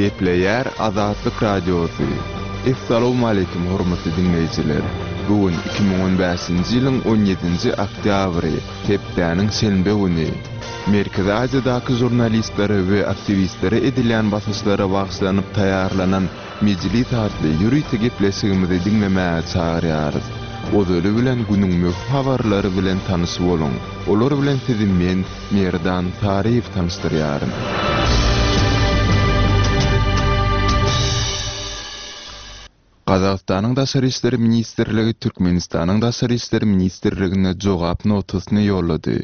Gepleýär Azatlyk Radiosy. Essalawmaleýkim hormatly diňleýjiler! Bu gün 2015-nji ýylyň 17-nji oktýabry, hepdäniň şenbe güni. Merkezi Aziýadaky žurnalistlere we aktiwistlere edilýän basyşlara bagyşlanyp taýýarlanan Mejlis atly ýörite gepleşigimizi diňlemäge çagyrýarys. Ozaly bilen günüň möhüm habarlary bilen tanyş boluň. Olar bilen sizi men, Merdan Saryýew tanyşdyrýaryn. Gazagystanyň Daşary işler ministrligi Türkmenistanyň Daşary işler ministrligine jogap notasyny ýollady.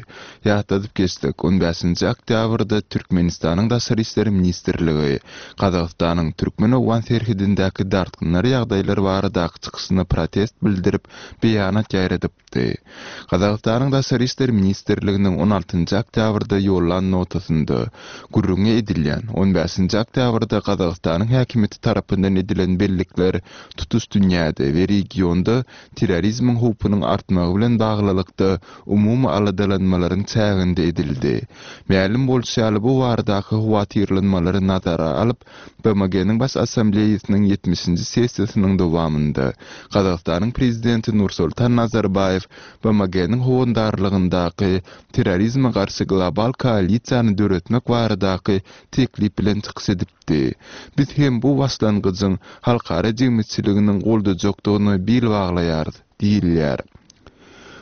Ýatladyp geçsek, on bäşinji oktýabrda Türkmenistanyň Daşary işler ministrligi Gazagystanyň türkmen-owgan serhedindäki dartgynly ýagdaýlar baradaky çykyşyna protest bildirip, beýanat ýaýradypdy. Gazagystanyň Daşary işler ministrliginiň on altynjy oktýabrda ýollan notasynda gürrüňi edilýän on bäşinji oktýabrda Gazagystanyň häkimiýeti tarapyndan edilen bellikler tutuş dünýäde we regionda terrorizmiň howpunyň artmagy bilen baglylykda umumy aladalanmalaryň çäginde edildi. Mälim bolşy ýaly, bu baradaky howatyrlanmalary nazara alyp, BMG-niň Baş Assambleýasynyň ýetmişinji sessiýasynyň dowamynda Gazagystanyň Prezidenti Nursultan Nazarbaýew BMG-niň howandarlygyndaky terrorizme garşy global koalisiýany döretmek baradaky teklip bilen çykyş edipdi. Biz hem bu başlangyjyň halkara jemgyýetçiliginiň goldajakdygyna bil baglaýarys. Diýilýär.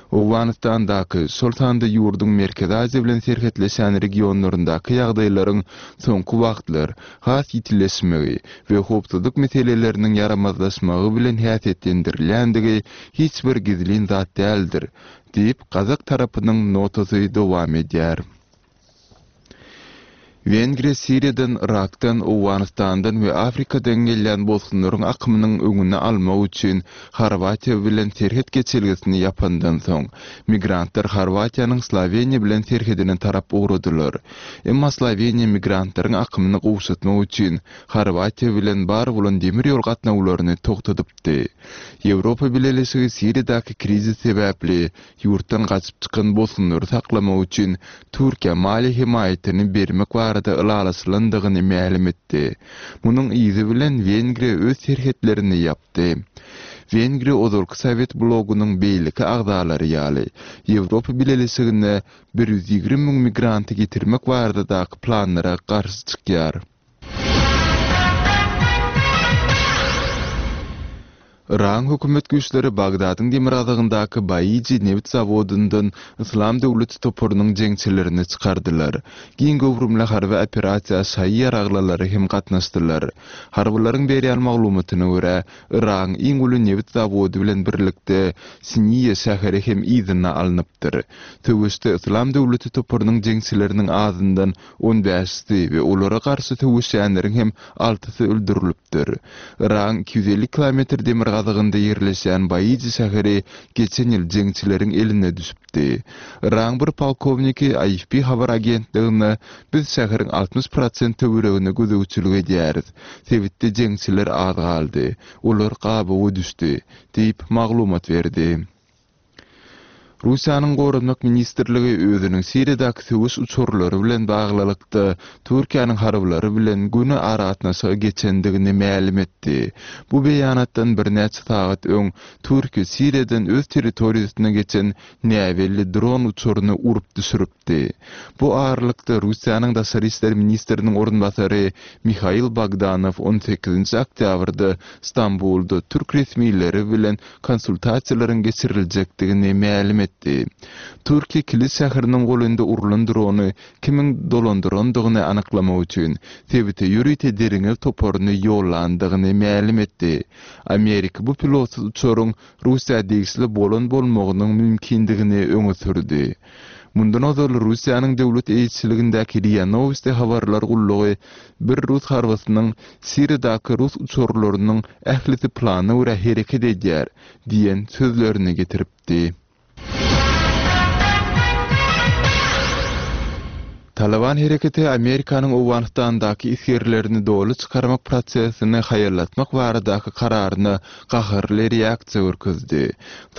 Owganystandaky, şol sanda ýurduň Merkezi Aziýa bilen serhetleşýän regionlaryndaky ýagdaýlaryň soňky wagtlar has ýitileşmegi we howpsuzlyk meseleleriniň ýaramazlaşmagy bilen häsiýetlendirilýändigi hiç bir gizlin zat däldir, diýip, gazak tarapynyň notasy dowam edýär. Wengriýa Siriýadan, Yrakdan, Owganystandan we Afrikadan gelýän bosgunlaryň akymynyň öňüni almak üçin Horwatiýa bilen serhet geçelgesini ýapandan soň, migrantlar Horwatiýanyň Sloweniýa bilen serhedine tarap ugradylar. Emma Sloweniýa migrantlaryň akymyny gowşatmak üçin Horwatiýa bilen bar bolan demir ýol gatnawlaryny togtadypdy. Ýewropa Bileleşigi Siriýadaky krizis sebäpli ýurtdan gaçyp çykan bosgunlary saklamak üçin Türkiýä maliýe hemaýatyny bermek barada ylalaşylandygyny mälim etdi. Munuň yzy bilen Wengriýa öz serhetlerini ýapdy. Wengriýa ozalky sowet blogunyň beýleki agzalary ýaly, Ýewropa Bileleşigine 120 müň migranty getirmek baradadaky planlara garşy çykýar. Yragyň hökümet güýçleri Bagdadyň demirgazygyndaky Baiji nebit zawodyndan Yslam döwleti toparynyň jeňçilerini çykardylar. Giň göwrümli harby operasiýa şaýy ýaraglylary hem gatnaşdylar. Harbylaryň berýän maglumatyna görä, Yragyň iň uly nebit zawody bilen birlikde Siniýa şäheri hem yzyna alnypdyr. Söweşde Yslam döwleti toparynyň jeňçileriniň azyndan on bäşisi we olara garşy söweşýänleriň hem altysy öldürilipdir. Yragyň 250 kilometr demirgazygynda ýerleşýän Baiji şäheri geçen ýyl jeňçileriň eline düşüpdi. Yragyň bir polkowniki AFP habar agentligine Biz şäheriň 60 prosent töweregine gözegçilik edýäris. Sebitde jeňçiler az galdy. Olar gabawa düşdi, diýip, maglumat berdi. Russiýanyň Goranmak ministrligi özüniň Siriýadaky söweş uçarlary bilen baglylykda Türkiýäniň harbylary bilen göni aragatnaşyga geçendigini mälim etdi. Bu beýanatdan birnäçe sagat öň Türkiýe Siriýadan öz territoriýasyna geçen näbelli dron uçaryny urup düşüripdi. Bu aralykda Russiýanyň daşary işler ministriniň orunbasary Mihail Bogdanow on sekizinji oktýabrda Stambulda türk resmileri bilen konsultasiýalaryň geçiriljekdigini mälim etdi. Türkiýe Kilis şäheriniň golaýynda urlan drony kimiň dolandyrandygyny anyklamak üçin sebite ýörite derňew toparyny ýollandygyny mälim etdi. Amerika bu pilotsyz uçaryň Russiýa degişli bolan bolmagynyň mümkindigini öňe sürdi. Mundan ozal Russiýanyň döwlet eýeçiligindäki RIA Nowosti habarlar gullugy bir rus harbysynyň Siriýadaky rus uçarlarynyň ählisi plana görä hereket edýär diýen sözlerini getiripdi. Talyban hereketi Amerikanyň Owganystandaky esgerlerini doly çykarmak prosesini haýallatmak baradaky kararyna gaharly reaksiýa görkezdi.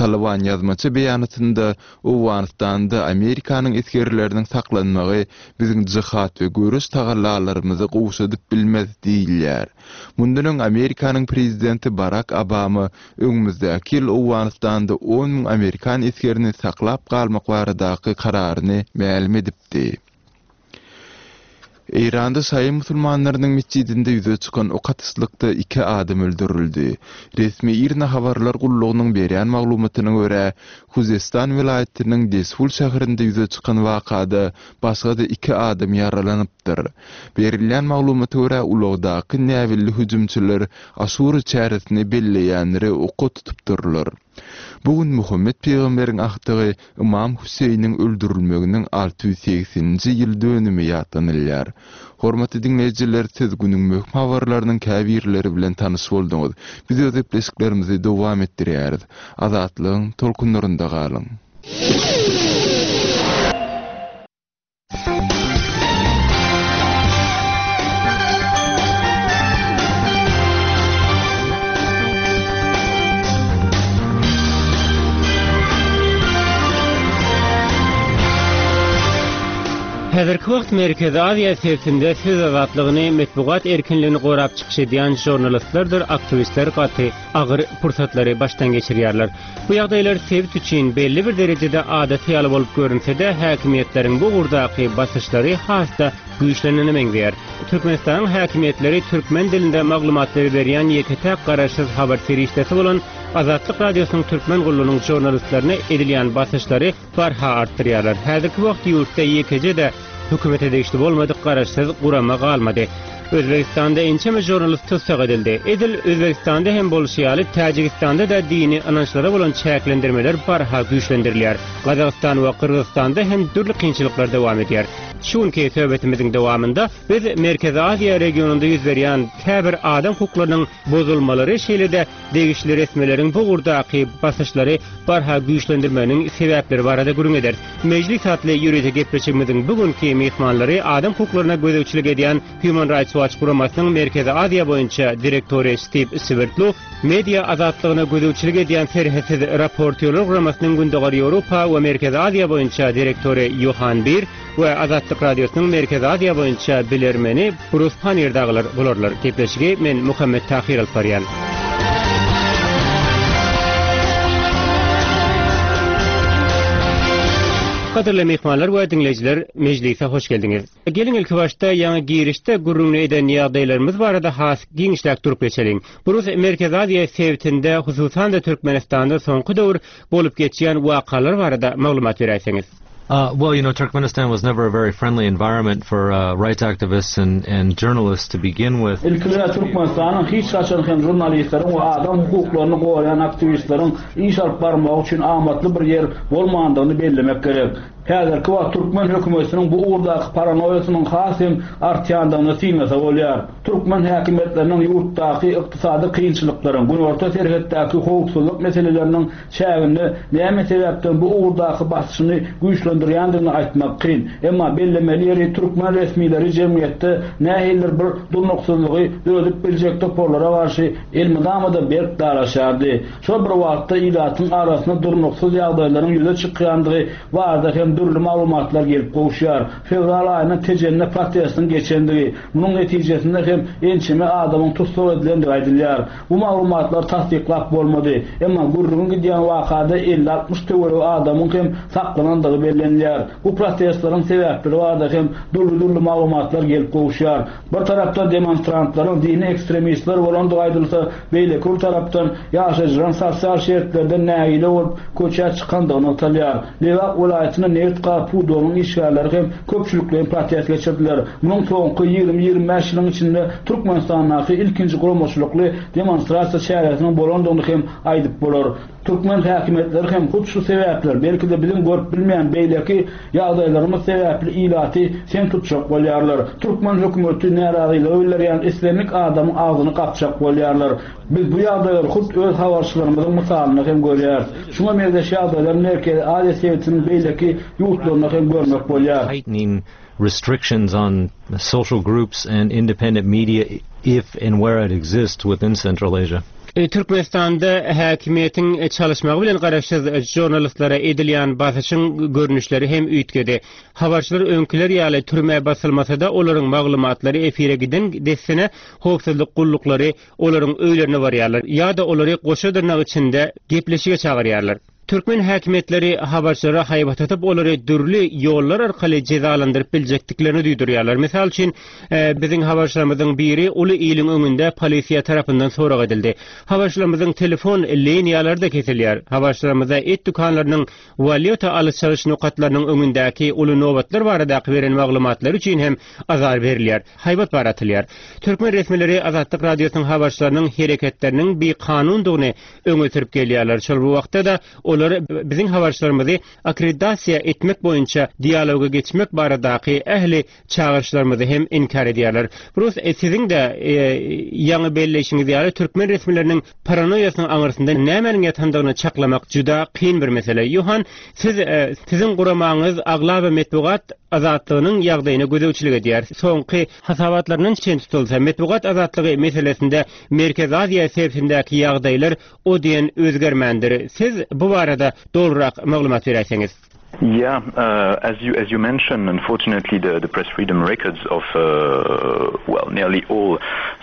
Talyban ýazmaça beýanatynda Owganystanda Amerikanyň esgerleriniň saklanmagy biziň jihad we göreş tagallalarymyzy gowşadyp bilmez diýilýär. Mundan öň Amerikanyň prezidenti Barak Obama öňümizdäki ýyl Owganystanda 10 müň amerikan esgerini saklap galmak baradaky kararyny mälim edipdi. Eýranda şaýy musulmanlarynyň metjidinde ýüze çykan ok atyşlykda iki adam öldürildi. Resmi IRNA habarlar gullugynyň berýän maglumatyna görä, Huzestan welaýatynyň Dezful şäherinde ýüze çykan wakada başga-da iki adam ýaralanypdyr. Berilýän maglumata görä, ulagdaky näbelli hüjümçiler Aşura çäresini belleýänleri oka tutupdyrlar. Bu gün Muhammet pygamberiň agtygy Ymam Hüseýiniň öldürilmeginiň 680-nji ýyl dönümi ýatlanylýar. Hormatly diňleýjiler, siz günüň möhüm habarlarynyň käbirleri bilen tanyş bolduňyz. Biz öz gepleşiklerimizi dowam etdirýäris. Azatlygyň tolkunlarynda galyň! Häzirki wagt Merkezi Aziýa sebitinde söz azatlygyny, metbugat erkinligini gorap çykyş edýän žurnalistlerdir aktiwistler gaty agyr pursatlary başdan geçirýärler. Bu ýagdaýlar sebit üçin belli bir derejede adaty ýaly bolup görünse-de, häkimiýetleriň bu ugurdaky basyşlary has-da güýçlenene meňzeýär. Türkmenistanyň häkimiýetleri türkmen dilinde maglumatlary berýän ýeke-täk garaşsyz habar serişdesi bolan Azatlyk Radiosynyň Türkmen gullugynyň žurnalistlerine edilýän basyşlary barha artdyrýarlar. Häzirki wagt ýurtda ýekeje-de hökümete degişli bolmadyk garaşsyz gurama galmady. Özbegistanda ençeme žurnalist tussag edildi. Edil Özbegistanda hem bolşy ýaly, Täjigistanda-da dini ynançlara bolan çäklendirmeler barha güýçlendirilýär. Gazagystan we Gyrgyzystanda hem dürli kynçylyklar dowam edýär. Şu günki söhbetimiziň dowamynda biz Merkezi Aziýa regionynda ýüz berýän käbir adam hukuklarynyň bozulmalary, şeýle-de degişli resmileriň bu ugurdaky basyşlary barha güýçlendirmeginiň sebäpleri barada gürrüň ederis. Mejlis atly ýörite gepleşigimiziň bu günki myhmanlary adam hukuklaryna gözegçilik edýän Human Rights Watch guramasynyň Merkezi Aziýa boýunça direktory Stiw Swerdlow, media azatlygyna gözegçilik edýän Serhetsiz raportýorlar guramasynyň Gündogar Ýewropa we Merkezi Aziýa boýunça direktory Ýohan Bir, we Azatlyk Radiosynyň Merkezi Aziýa boýunça bilermeni Brus Pannier dagylar bolarlar. Gepleşigi men Muhammet Tahyr alyp barýan. Gadyrly myhmanlar we diňleýjiler, mejlise hoş geldiňiz. Geliň ilkibaşda ýaňy girişde gürrüňini eden ýagdaýlarymyz barada has giňişläk durup geçeliň. Brus Merkezi Aziýa sebitinde, hususan-da Türkmenistanda soňky döwür bolup geçýän wakalar barada maglumat beräýseňiz. Uh, well, you know, Turkmenistan was never a very friendly environment for uh, rights activists and, and journalists to begin with. Ilki bilen Türkmenistanyň hiç haçan hem žurnalistleriň we adam hukuklaryny goraýan aktiwistleriň iş alyp barmagy üçin amatly bir ýer bolmandygyny bellemek gerek. Häzirki wagt türkmen hökümetiniň bu ugurdaky paranoýasynyň has hem artýandygyny synlasa bolýar. Türkmen häkimiýetleriniň ýurtdaky ykdysady kynçylyklaryň, günorta serhetdäki howpsuzlyk meseleleriniň çäginde näme sebäpden bu ugurdaky basyşyny güýçlendirýändigini aýtmak kyn. Emma bellemeli ýeri türkmen resmileri jemgyýetde nähilidir bir durnuksyzlygy döredip biljek toparlara garşy elmydama-da berk daraşýardy. Şol bir wagtda ilatyň arasynda durnuksyz ýagdaýlaryň ýüze çykýandygy barada hem dürli maglumatlar gelip gowuşýar. Fewral aýynda Tejende protestiň geçendigi, munuň netijesinde hem ençeme adamyň tussag edilendigi aýdylýar. Bu maglumatlary tassyklap bolmady. Emma gürrüňi gidýän wakada elli-altmyş töweregi adamyň hem saklanandygy bellenilýär. Bu protestleriň sebäpleri barada hem dürli-dürli maglumatlar gelip gowuşýar. Bir tarapdan demonstrantlaryň dini ekstremistler bolandygy aýdylsa, beýleki bir tarapdan ýaşaýjylaryň sosial şertlerden nägile bolup köçä çykandygy nygtalýar. Lebap welaýatynda nebit-gaz pudagynyň işgärleri hem köpçülikleýin protest geçirdiler. Munuň soňky 20-25 ýylyň içinde Türkmenistandaky ilkinji guramaçylykly demonstrasiýa çäresiniň bolandygyny hem aýdyp bolar. Türkmen häkimiýetleri hem hut şu sebäpler, belki-de biziň görüp bilmeýän beýleki ýagdaýlarymyz sebäpli ilaty sem tutjak bolýarlar. Türkmen hökümeti närazylygy bildirýän islendik adamyň agzyny gapjak bolýarlar. Biz bu ýagdaýlary hut öz habarçylarymyzyň mysalynda hem görýäris. Şuňa meňzeş ýagdaýlary Merkezi Aziýa sebitiniň beýleki ýurtlarynda hem görmek bolýar. Tightening restrictions on social groups and independent media if and where it exists within Central Asia. Türkmenistanda häkimiýetiň çalyşmagy bilen garaşsyz žurnalistlere edilýän basyşyň görnüşleri hem üýtgedi. Habarçylar öňküler ýaly türmä basylmasa-da, olaryň maglumatlary efire giden dessine howpsuzlyk gulluklary olaryň öýlerine barýarlar ýa-da olary goşa dyrnak içinde gepleşige çagyrýarlar. Türkmen häkimiýetleri habarçylara haýbat atyp, olary dürli ýollar arkaly jezalandyryp biljekdiklerini duýdurýarlar. Mysal üçin, biziň habarçylarymyzyň biri uly iliň öňünde polisiýa tarapyndan sorag edildi. Habarçylarymyzyň telefon liniýalary-da kesilýär. Habarçylarymyza et dükanlarynyň walýuta alyş-çalyş nokatlarynyň öňündäki uly nobatlar baradaky beren maglumatlary üçin hem azar berilýär, haýbat bar atylýar. Türkmen resmileri Azatlyk Radiosynyň habarçylarynyň hereketleriniň bikanundygyny öňe sürüp gelýärler. Şol bir wagtda-da, olar biziň habarçylarymyzy akkreditasiýa etmek boýunça dialoga geçmek baradaky ähli çagyryşlarymyzy hem inkär edýärler. Brus, siziň-de ýaňy belleýşiňiz ýaly, türkmen resmileriniň paranoýasynyň aňyrsynda nämäniň ýatandygyny çaklamak juda kyn bir mesele. Ýohan, siz, siziň guramaňyz aglaba metbugat azatlygynyň ýagdaýyna gözegçilik edýär. Soňky hasabatlaryndan çen tutulsa, metbugat azatlygy meselesinde Merkezi Aziýa sebitindäki ýagdaýlar o diýen özgermändir. Siz bu barada dolurak maglumat beräýseňiz. Yeah, as you as you mentioned, unfortunately the the press freedom records of well nearly all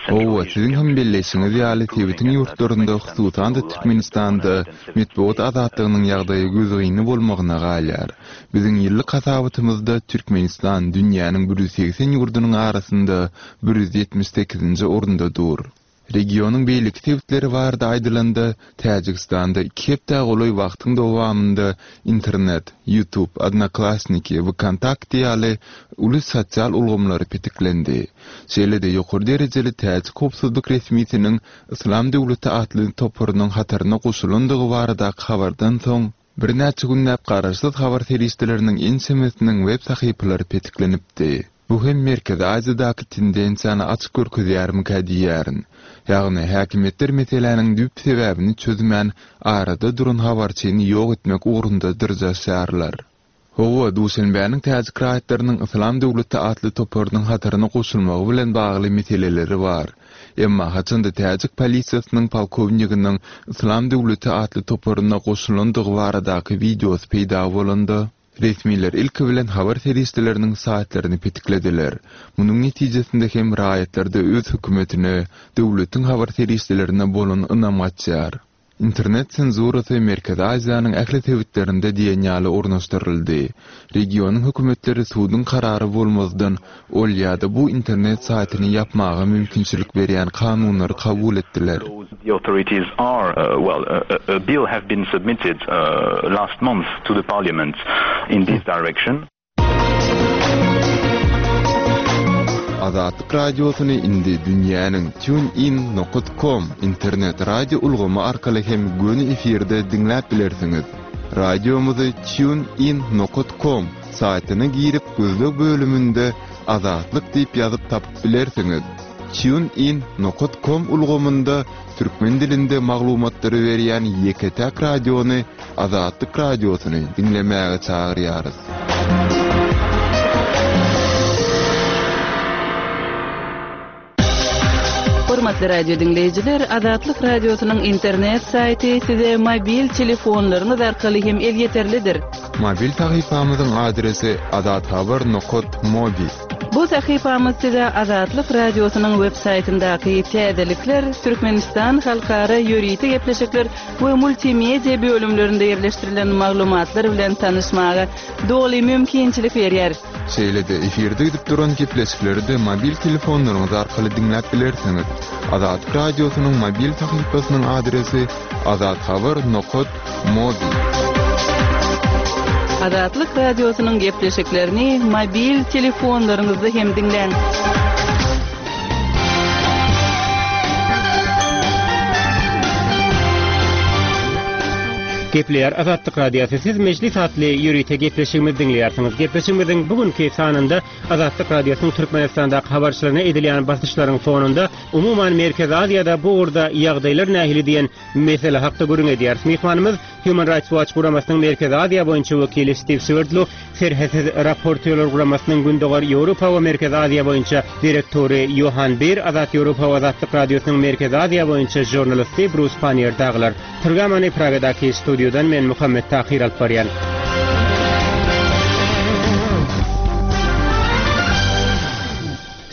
Hawa, siziň hem belleýşiňiz ýaly, sebitiň ýurtlarynda, hususan-da Türkmenistanda metbugat azatlygynyň ýagdaýy gözgyny bolmagyna galýar. Biziň ýyllyk hasabatymyzda Türkmenistan dünýäniň 180 ýurdunyň arasynda 178-nji orunda dur. Regionyň beýleki sebitleri barada aýdylanda, Täjigistanda iki hepdä golaý wagtyň dowamynda internet, YouTube, Odnoklassniki, VKontakte ýaly uly sosial ulgamlary petiklendi. Şeýle-de ýokary derejeli täjik howpsuzlyk resmisiniň Yslam döwleti atly toparynyň hataryna goşulandygy baradaky habardan soň, birnäçe günläp garaşsyz habar serişdeleriniň ençemesiniň web sahypalary petiklenipdi. Bu hem Merkezi Aziýadaky tendensiýany açyk görkezýärmikä diýýärin. Ýagny, häkimiýetler meseläniň düýp sebäbini çözmän, arada duran habarçyny ýok etmek ugrunda dyrjaşýarlar. Hawa, Duşenbäniň täjik raýatlarynyň Yslam döwleti atly toparynyň hataryna goşulmagy bilen bagly meseleleri bar. Emma haçanda täjik polisiýasynyň polkowniginiň Yslam döwleti atly toparyna goşulandygy baradaky wideosy peýda bolanda, Resmiler ilki bilen habar serişdeleriniň saýtlaryny petiklediler. Munuň netijesinde hem raýatlarda öz hökümetine, döwletiň habar serişdelerine bolan ynam gaçýar. Internet senzurasy Merkezi Aziýanyň ähli sebitlerinde diýen ýaly ornaşdyryldy. Regionyň hökümetleri suduň karary bolmazdan ol ýa-da bu internet saýtyny ýapmaga mümkinçilik berýän kanunlary kabul etdiler. The authorities are, well, a bill have been submitted last month to the parliament in this direction. Azatlyk Radiosyny indi dünýäniň TuneIn nokat com internet radio ulgamy arkaly hem göni efirde diňläp bilersiňiz. Radiomyzy TuneIn nokat com saýtyna girip gözleg bölüminde Azatlyk diýip ýazyp tapyp bilersiňiz. TuneIn nokat com ulgamynda türkmen dilinde maglumatlary berýän ýeke-täk radiony Azatlyk Radiosyny diňlemäge çagyrýarys. Hormatly radio diňleýjiler, Azatlyk Radiosynyň internet saýty size mobil telefonlaryňyz arkaly hem elýeterlidir. Mobil sahypamyzyň adresi azathabar nokat mobi. Bu sahypamyz size Azatlyk Radiosynyň web saýtyndaky täzelikler, Türkmenistan halkara ýörite gepleşikler we multimedia bölümlerinde ýerleşdirilen maglumatlar bilen tanyşmaga doly mümkinçilik berýär. Şeýle-de efirde gidip duran gepleşikleri-de mobil telefonlaryňyz arkaly diňläp bilersiňiz. Azatlyk Radiosynyň mobil sahypasynyň adresi azathabar nokat mobi. Azatlyk Radiosynyň gepleşiklerini mobil telefonlaryňyzda hem diňläň. Gepleýär Azatlyk Radiosy. Siz Mejlis atly ýörite gepleşigimizi diňleýärsiňiz. Gepleşigimiziň bu günki sanynda Azatlyk Radiosynyň Türkmenistandaky habarçylaryna edilýän basyşlaryň fonunda, umuman Merkezi Aziýada bu ugurda ýagdaýlar nähili diýen mesele hakda gürrüň edýäris. Myhmanymyz Human Rights Watch guramasynyň Merkezi Aziýa boýunça wekili Stiw Swerdlow, Serhetsiz raportýorlar guramasynyň Gündogar Ýewropa we Merkezi Aziýa boýunça direktory Ýohan Bir, Azat Ýewropa we Azatlyk Radiosynyň Merkezi Aziýa boýunça žurnalisti Brus Panniýer dagylar. Programmany Pragadaky studiýadan men Muhammet Tahyr alyp barýan.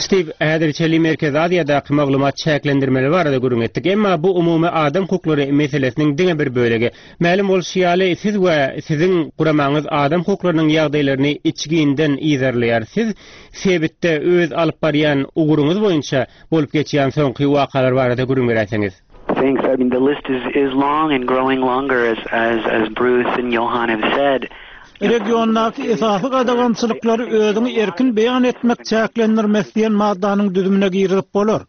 Stiw, häzir çenli Merkezi Aziýadaky maglumat çäklendirmeleri barada gürrüň etdik. Emma bu umumy adam hukuklary meselesiniň diňe bir bölegi. Mälim bolşy ýaly, siz we siziň guramaňyz adam hukuklarynyň ýagdaýlaryny içginden yzarlaýar. Siz sebitde öz alyp barýan ugruňyz boýunça bolup geçýän soňky wakalar barada gürrüň beräýseňiz. Thanks. I mean the list is is long and growing longer as as as Bruce and Johan have said. Regiondaky esasy gadagançylyklary özüňi erkin beýan etmek çäklendirmesi diýen maddanyň düzümine girizip bolar.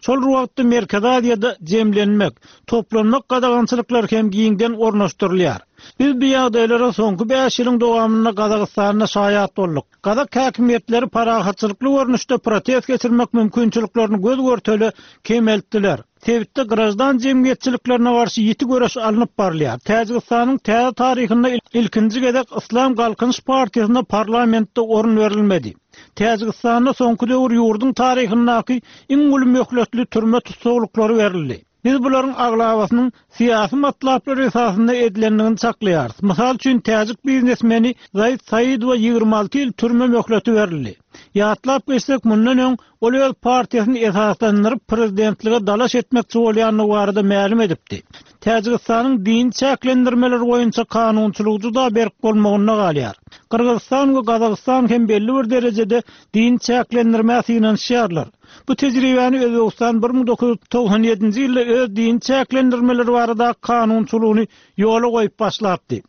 Şol bir wagtda Merkezi Aziýada jemlenmek, toplanmak gadagançylyklary hem giňden ornaşdyrylýar. Biz bu ýagdaýlara soňky bäş ýylyň dowamynda Gazagystanda şaýat bolduk. Gazak häkimiýetleri parahatçylykly görnüşde protest geçirmek mümkinçiliklerini göz-görtele kemeltdiler. Sebitde graždan jemgyýetçiliklerine garşy ýiti göreş alnyp barylýar. Täjigistanyň täze taryhynda ilkinji gezek Yslam Galkynyş partiýasyna parlamentde orun berilmedi. Täjigistanda soňky döwür ýurduň taryhyndaky iň uly möhletli türme tussaglyklary berildi. Biz bularyň aglabasynyň syýasy matlaplar esasynda edilendigini çaklaýarys. Mysal üçin, täjik biznesmeni Zaid Saidowa 26 ýyl türme möhleti berildi. Ýatlap geçsek, mundan öň Ol öz partiýasyny esaslandyryp, prezidentlige dalaş etmekçi bolýandygy barada mälim edipdi. Täjigistanyň dini çäklendirmeler boýunça kanunçylygy juda berk bolmagynda galýar. Gyrgyzystan we Gazagystan hem belli bir derejede dini çäklendirmä synanyşýarlar. Bu tejribäni Özbegistan 1997-nji ýylda öz dini çäklendirmeler baradaky kanunçylygyny ýola goýup başlapdy.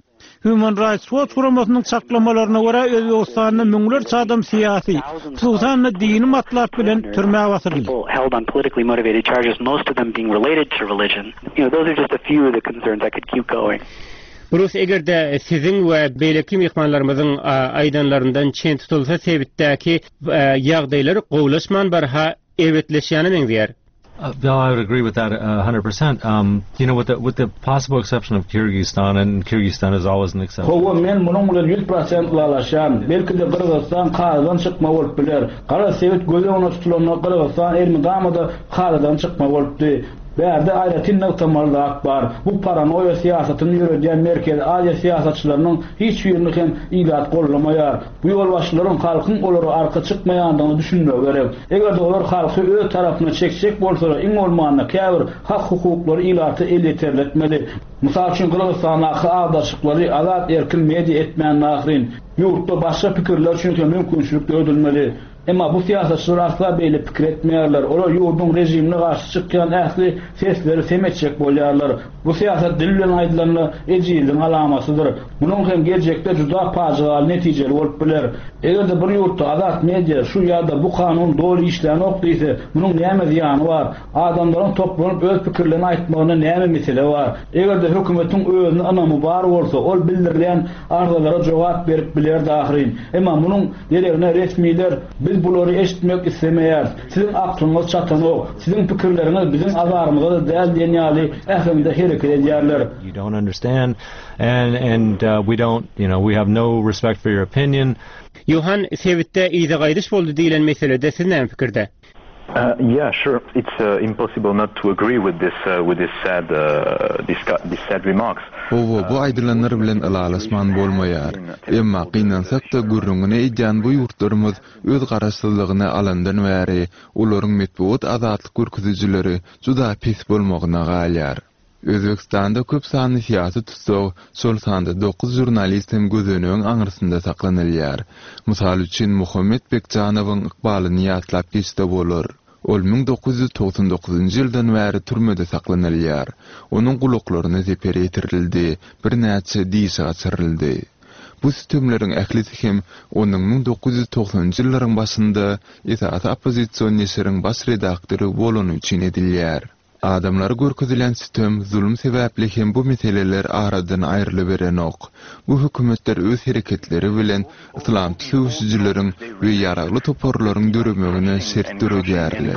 Human Rights Watch guramasynyň çaklamalaryna görä, Özbegistanda müňlerçe adam syýasy, hususan-da dini matlap bilen türmä basyryldy. Brus, eger-de siziň we beýleki myhmanlarymyzyň aýdanlaryndan çen tutulsa, sebitdäki ýagdaýlar gowulaşman barha erbetleşýäne meňzeýär. Uh, no, I would agree with that 100%. Uh, um, you know, with the with the possible exception of Kyrgyzstan, and Kyrgyzstan is always an exception. Hawa, men munuň bilen 100% ylalaşýan. Belki-de Gyrgyzystan kadadan çykma bolup biler. Garaz, sebit göz öňünde tutulanda Gyrgyzystan elmydama-da kadadan çykma bolupdy. Bärde aýratyn nygtamaly zat bar. Bu paranoýa syýasatyny ýöredýän Merkezi Aziýa syýasatçylarynyň hiç birini hem ilat goldamaýar. Bu ýolbaşçylaryň halkyň olara arka çykmaýandygyna düşünmegi gerek. Eger-de olar halky öz tarapyna çekjek bolsalar, iň bolmanda käbir hak-hukuklary ilata elýeterli etmeli. Mysal üçin, Gyrgyzystandaky agdarşyklary azat-erkin media etmände ahyryn. Ýurtda başga pikirler üçin hem mümkinçilik döredilmeli. Emma bu syýasatçylar asla beýle pikir etmeýärler. Olar ýurduň režimine garşy çykýan ähli sesleri sem etjek bolýarlar. Bu syýasat dil bilen aýdylanda ejizligiň alamatydyr. Munuň hem geljekde juda pajygaly netijeli bolup biler. Eger-de bir ýurtda azat media şu ýa-da bu kanun doly işlänok diýse, munuň näme zyýany bar? Adamlaryň toplanyp öz pikirlerini aýtmagynda näme mesele bar? Eger-de hökümetiň özüne ynamy bar bolsa, ol bildirilýän arzalara jogap berip bilerdi ahyryn. Emma munuň deregine resmiler Biz bulary eşitmek islemeýäris, siziň aklyňyz çatanok, siziň pikirleriňiz biziň azarymyza-da däl diýen ýaly äheňde hereket edýärler. You don't understand and and we don't you know we have no respect for your opinion. Johan, sebitde yza gaýdyş boldy diýlen meselede siz näme pikirde? Yeah, sure. It's impossible not to agree with this with this sad this sad remarks. Hawa, bu aýdylanlar bilen ylalaşman bolmaýar. Emma, gynansak-da, gürrüňini edýän bu ýurtlarymyz öz garaşsyzlygyny alandan bäri olaryň metbugat azatlyk görkezijileri juda pes bolmagyna galýar. Özbegistanda köp sanly syýasy tussag, şol sanda dokuz žurnalist hem gözenegiň aňyrsynda saklanylýar. Mysal üçin, Muhammet Bekjanowyň ykbalyny ýatlap geçse bolar. Ol 1999-njy ýyldan bäri türmede saklanylýar. Onuň gulaklaryna zeper ýetirildi, birnäçe dişi gaçyryldy. Bu sütemleriň ählisi hem onuň 1990-njy ýyllaryň başynda esasy oppozision neşiriň baş redaktory bolany üçin edilýär. Adamlara görkezilýän sütem, zulum sebäpli hem bu meseleler aradan aýrylyberenok. Bu hökümetler öz hereketleri bilen yslamçy söweşijileriň we ýaragly toparlaryň döremegine şert döredýärler.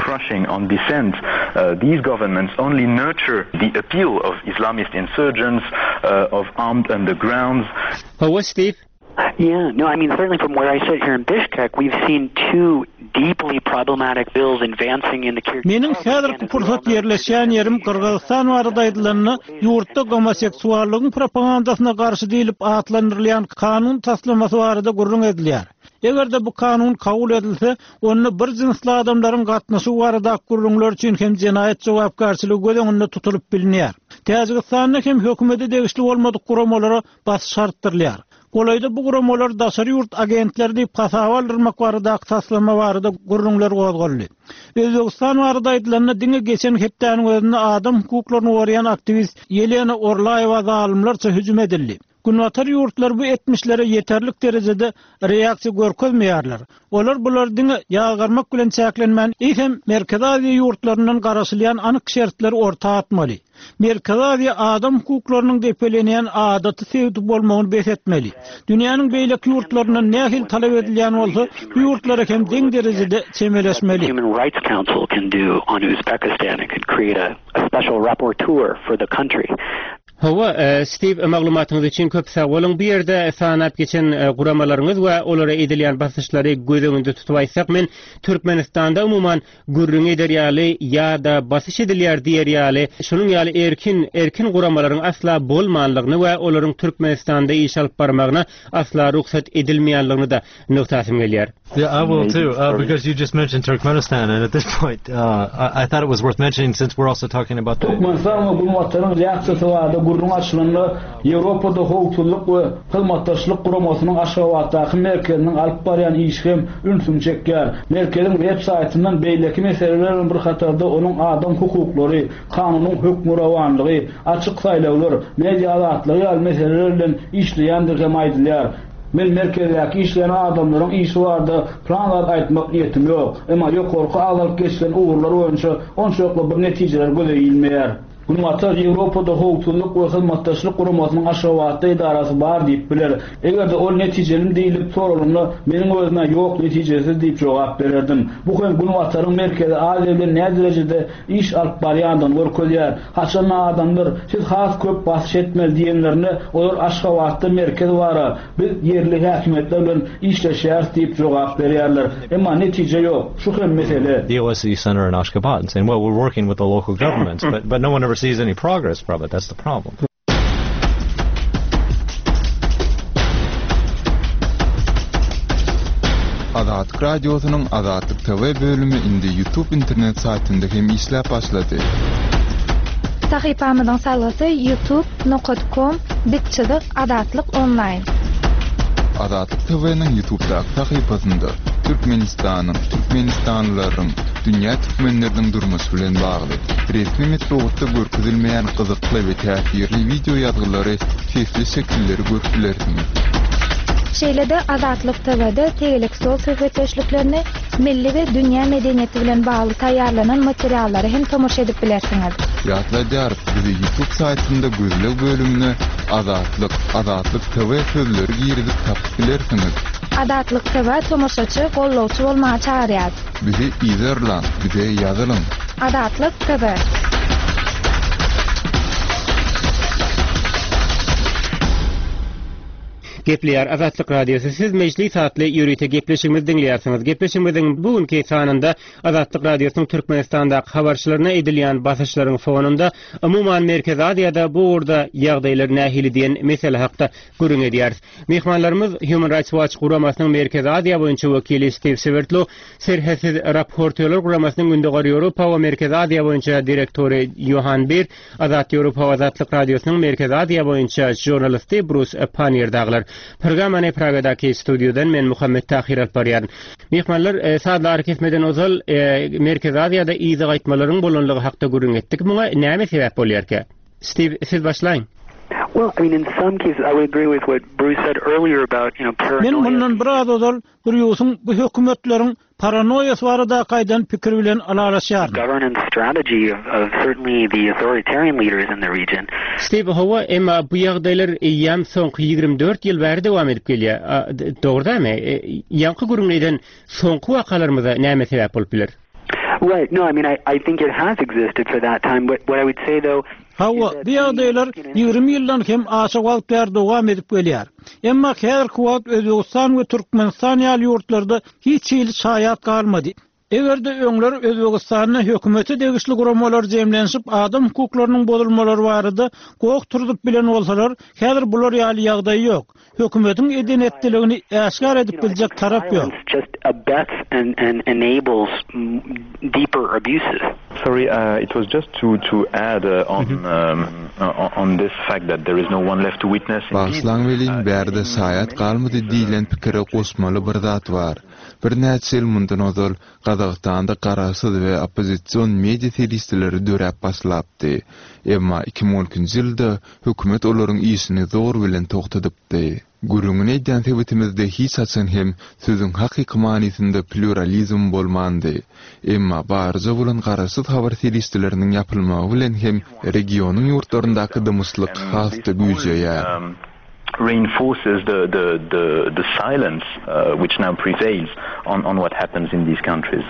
Hawa, Stiw. Yeah, no, I mean certainly from where I sit here in Bishkek, we've seen two deeply problematic bills advancing in the Kyrgyz Meniň häzirki pursat ýerleşýän ýerim Gyrgyzystan barada aýdylanda, ýurtda gomoseksuallygyň propagandasyna garşy diýlip atlandyrylýan kanun taslamasy barada gürrüň edilýär. Eger-de bu kanun kabul edilse, onda bir jynsly adamlaryň gatnaşygy baradaky gürrüňler üçin hem jenaýat jogapkärçiligi göz öňünde tutulyp bilinýär. Täjigistanda hem hökümete degişli bolmadyk guramalara basyş artdyrylýar. Golaýda bu guramalar daşary ýurt agentleri diýip hasaba aldyrmak baradaky taslama barada gürrüňler gozgaldy. Özbegistan barada aýdylanda, diňe geçen hepdäniň özünde adam hukuklaryny goraýan aktiwist Ýelena Orlaýewa zalymlarça hüjüm edildi. Günbatar ýurtlary bu etmişlere ýeterlik derejede reaksiýa görkezmeýärler. Olar bulary diňe ýazgarmak bilen çäklenmän, eýsem, Merkezi Aziýa ýurtlaryndan garaşylýan anyk şertleri orta atmaly. Merkezi Aziýa adam hukuklarynyň depelenýän adaty sebiti bolmagyny bes etmeli. Dünýäniň beýleki ýurtlaryndan nähili talap edilýän bolsa, bu ýurtlara hem deň derejede çemeleşmeli. Hawa, Stiw, maglumatyňyz üçin köp sag boluň. Bu ýerde sanap geçen guramalaryňyz we olara edilýän basyşlary göz öňünde tutup aýtsak, men Türkmenistanda umuman gürrüň eder ýaly ýa-da basyş edilýär diýer ýaly şunuň ýaly erkin erkin guramalaryň asla bolmanlygyny we olaryň Türkmenistanda iş alyp barmagyna asla rugsat edilmeýänligini-de nygtasym gelýär. Yeah, I will too, uh, because you just mentioned Turkmenistan, and at this point, uh, I, I thought it was worth mentioning since we're also talking about the... Türkmenistan we Günbataryň reaksiýasy barada gürrüň açylanda, Ýewropada Howpsuzlyk we Hyzmatdaşlyk Guramasynyň Aşgabatdaky merkeziniň alyp barýan işi hem ünsüňi çekýär. Merkeziň web saýtyndan beýleki meseleler bilen bir hatarda onuň adam hukuklary, kanunyň hökmürowanlygy, açyk saýlawlar, media azatlygy ýaly meseleler bilen işleýändigi hem aýdylýar. Men merkezdäki işleýän adamlaryň işi barada plan zat aýtmak niýetim ýok. Emma ýokarky agzalyp geçilen ugurlar boýunça onçakly bir netijeler göze ilmeýär. Günbatar Ýewropada Howpsuzlyk we Hyzmatdaşlyk Guramasynyň Aşgabatda edarasy bar diýip biler. Eger-de ol netijelimi diýlip soralanda, meniň özüm-ä ýok, netijesiz diýip jogap bererdim. Bu hem Günbataryň Merkezi Aziýa bilen näderejede iş alyp barýandygyny görkezýär. Haçanda adamlar, siz has köp basyş etmeli diýenlerinde, olar Aşgabatda merkez bar-a, biz ýerli häkimiýetler bilen işleşýäris diýip jogap berýärler. Emma netije ýok. Şu hem mesele. The OSCE center in Ashgabat and saying, well, we're working with the local governments, but, but no one ever sees any progress from it. That's the problem. Azatlyk Radiosynyň Azatlyk TV bölümi indi YouTube internet saýtynda hem işläp başlady. Sahypamyzyň salgysy youtube nokat kom dik çyzyk azatlyk onlaýn. Azatlyk TV-niň YouTubedaky sahypasynda Türkmenistanyň, türkmenistanlylaryň, dünýä türkmenleriniň durmuşy bilen bagly, resmi metbugatda görkezilmeýän gyzykly we täsirli wideo ýazgylary, sesli şekilleri görüp bilersiňiz. Şeýle-de Azatlyk TV-de tegelek stol söhbetdeşliklerini, milli we dünýä medeniýeti bilen bagly taýýarlanan materiallara hem tomaşa edip bilersiňiz. Ýatladýarys, bizi YouTube saýtynda gözleg bölümine Azatlyk, Azatlyk TV sözleri girizip tapyp bilersiňiz. Azatlyk TV tomaşaçy, gollawçy bolmaga çagyrýar. Bizi yzarlaň, bize ýazylyň. Azatlyk TV. Gepleýär Azatlyk Radiosy, Siz Mejlis atly ýörite gepleşigimizi diňleýärsiňiz. Gepleşigimiziň bu günki sanynda Azatlyk Radiosynyň Türkmenistandaky habarçylaryna edilýän basyşlaryň fonunda, umuman Merkezi Aziýada bu ugurda ýagdaýlar nähili diýen mesele hakda gürrüň edýäris. Myhmanlarymyz Human Rights Watch guramasynyň Merkezi Aziýa boýunça wekili Stiw Swerdlow, Serhetsiz raportýorlar guramasynyň Gündogar Ýewropa we Merkezi Aziýa boýunça direktory Ýohan Bir, Azat Ýewropa we Azatlyk Radiosynyň Merkezi Aziýa boýunça žurnalisti Brus Pannier dagylar. Programmany Pragadaky studiýadan men Muhammet Tahyr alyp barýaryn. Myhmanlar, sazly arakesmeden ozal Merkezi Aziýada yza gaýtmalaryň bolanlygy hakda gürrüň etdik. Muňa näme sebäp bolýarka? Stiw, siz başlaýyň. Well, I mean, in some cases, I would agree with what Bruce said earlier about, you know, Men paranoia. mundan biraz ozal Brýusyň bu hökümetleriň. paranoýasy baradaky aýdan pikiri bilen ylalaşýaryn. Stiw, Hawa, emma bu ýagdaýlar eýýäm soňky 24 ýyl bäri dowam edip gelýär. Dogry dälmi? Ýaňky gürrüňini eden soňky wakalarymyza näme sebäp bolup biler? Hawa, bu ýagdaýlar 20 ýyldan hem aşa wagt bäri dowam edip gelýär. Emma häzirki wagt Özbegistan we Türkmenistan ýaly ýurtlarda hiç hili şaýat galmady. Eger-de öňler Özbegistanda hökümete degişli guramalar jemlenişip adam hukuklarynyň bozulmalary barada goh turzup bilen bolsalar, häzir bular ýaly ýagdaý ýok. Hökümetiň eden-etdiligini äşgär edip biljek tarap ýok. Sorry, it was just to to add on on this fact that there is no one left to witness. Bagyşlaň welin, bärde şaýat galmady diýlen pikire goşmaly bir zat bar. Birnäçe ýyl mundan ozal Gazagystanda garaşsyz we oppozision media serişdeleri döräp başlapdy. Emma 2012-nji ýylda hökümet olaryň işini zor bilen togtadypdy. Gürrüňini edýän sebitimizde hiç haçan hem sözüň hakyky manysynda plýuralizm bolmandy. Emma barja bolan garaşsyz habar serişdeleriniň ýapylmagy bilen hem regionyň ýurtlaryndaky dymyşlyk has-da güýjeýär. reinforces the the the the silence which now prevails on on what happens in these countries.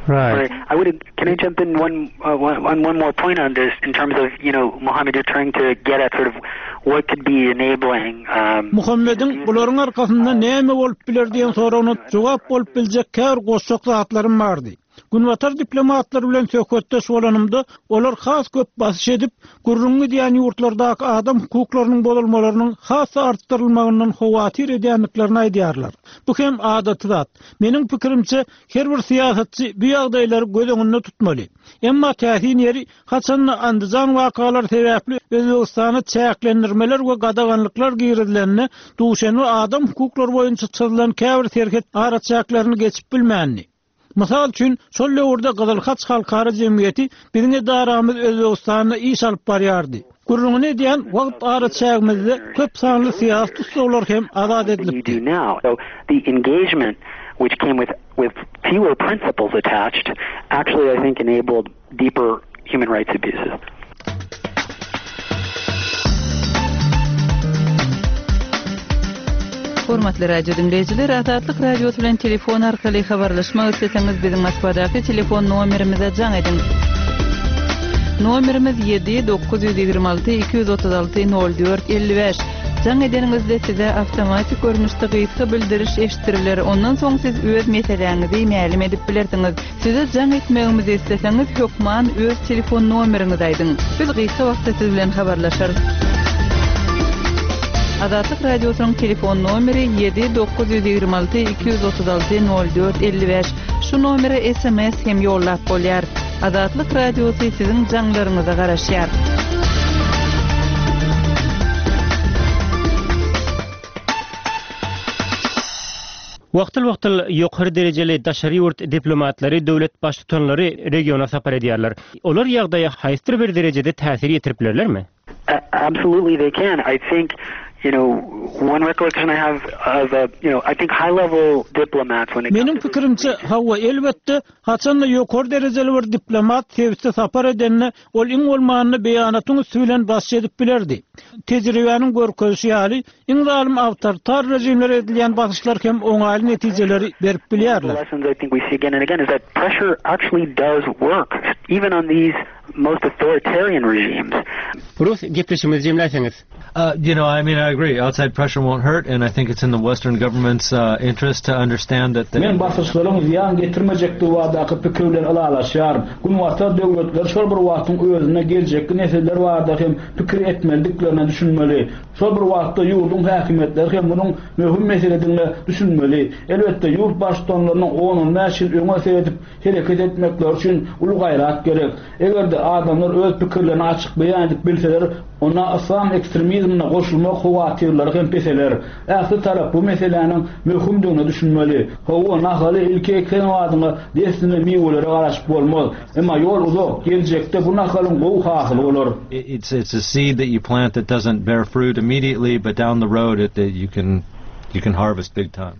Right. I would can I jump in one on one more point on this in terms of you know Muhammad you're trying to get at sort of what could be enabling um Muhammediň bularyň arkasynda näme bolup biler diýen soragyna jogap bolup biljek käbir goşjak zatlarym bardy. Günbatar diplomatlary bilen söhbetdeş bolanymda, olar has köp basyş edip, gürrüňi gidýän ýurtlardaky adam hukuklarynyň bozulmalarynyň has-da artdyrylmagyndan howatyr edýändiklerini aýdýarlar. Bu hem adaty zat. Meniň pikirimçe, her bir syýasatçy bu ýagdaýlary göz öňünde tutmaly. Emma täsin ýeri, haçan-da Andijan wakalary sebäpli Özbegistana çäklendirmeler we gadaganlyklar girizilende, Duşenbe adam hukuklary boýunça çyzylan käbir serhet araçäklerini geçip bilmändi. Mysal üçin, şol döwürde Gyzyl Haç halkara jemgyýeti biziň edaramyz Özbegistanda iş alyp barýardy. Gürrüňini edýän wagt araçägimizde köp sanly syýasy tussaglar hem azat edilipdi. deeper human rights abuses. Hormatly radio diňleýjiler, Azatlyk Radiosy bilen telefon arkaly habarlaşmak isleseňiz biziň Moskwadaky telefon nomerimize jaň ediň. Nomerimiz 7 926 236 04 55. Jaň edeniňizde size awtomatik görnüşde gysga bildiriş eşitdiriler. Ondan soň siz öz meseläňizi mälim edip bilersiňiz. Size jaň etmegimizi isleseňiz hökman öz telefon nomeriňizi aýdyň. Biz gysga wagtda siz bilen habarlaşarys. Azatlyk Radiosynyň telefon nomeri 7 926 236 04 55. Şu nomere sms hem ýollap bolýar. Azatlyk Radiosy siziň jaňlaryňyza garaşýar. Wagtal-wagtal ýokary derejeli daşary ýurt diplomatlary, döwlet baştutanlary regiona sapar edýärler. Olar ýagdaýa haýsydyr bir derejede täsir ýetirip bilerlermi? Absolutely they can. I think, you know, one recollection I have of a, you know, I think high level diplomats when it Meniň pikirimçe, hawa, elbetde, haçan-da ýokary derejeli bir diplomat sebite sapar edende, ol iň bolmanda beýanatyň üsti bilen basyş edip bilerdi. Tejribäniň görkezişi ýaly, Iň zalym awtoritar režimlere edilýän basyşlar hem oňaýly netijeleri berip bilýärler. Rus, gepleşigimizi jemläýseňiz. You know, I mean, I agree, outside pressure won't hurt, and I think it's in the Western government's interest to understand that they. Men basyşlaryň zyýan getirmejekdigi baradaky pikir bilen ylalaşýaryn. Günbatar döwletleri şol bir wagtyň özünde geljekki nesiller barada hem pikir etmelidiklerine düşünmeli. Şol bir wagtda ýurduň häkimiýetleri hem munuň möhüm meseledigine düşünmeli. Elbetde, ýurt baştutanlarynyň on-on bäş ýyl öňe seredip hereket etmekleri üçin uly gaýrat gerek. Eger-de adamlar öz pikirlerini açyk beýan edip bilseler, onda yslam ekstremizmine goşulmak howatyrlary hem peseler. Ähli tarap bu meseläniň möhümdigine düşünmeli. Hawa, nahaly ilki eken badyňa dessine miwelere garaşyp bolmaz. Emma ýol uzak, geljekde bu nahalyň gowy hasyly bolar. It's it's a seed that you plant that doesn't bear fruit immediately, but down the road it you can you can harvest big time.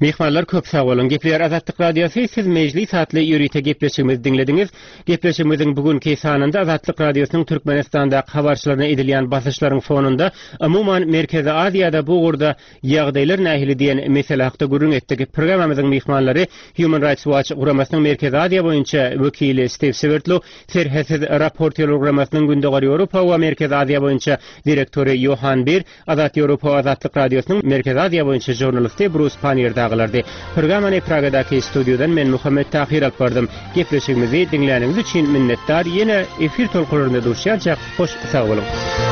Myhmanlar köp sag boluň. Gepleýär Azatlyk Radiosy, siz Mejlis atly ýörite gepleşigimizi diňlediňiz. Gepleşigimiziň bu günki sanynda Azatlyk Radiosynyň Türkmenistandaky habarçylaryna edilýän basyşlaryň fonunda, umuman Merkezi Aziýada bu ugurda ýagdaýlar nähili diýen mesele hakda gürrüň etdik. Programmamyzyň myhmanlary Human Rights Watch guramasynyň Merkezi Aziýa boýunça wekili Stiw Swerdlow, Serhetsiz raportýorlar guramasynyň Gündogar Ýewropa we Merkezi Aziýa boýunça direktory Ýohan Bir, Azat Ýewropa we Azatlyk Radiosynyň Merkezi Aziýa boýunça žurnalisti Brus Panniýer dagylardy. Programmany Pragadaky studiýadan men Muhammet Tahyr alyp bardym. Gepleşigimizi diňläniňiz üçin minnetdar, ýene efir tolkunlarynda duşýançak hoş sag boluň.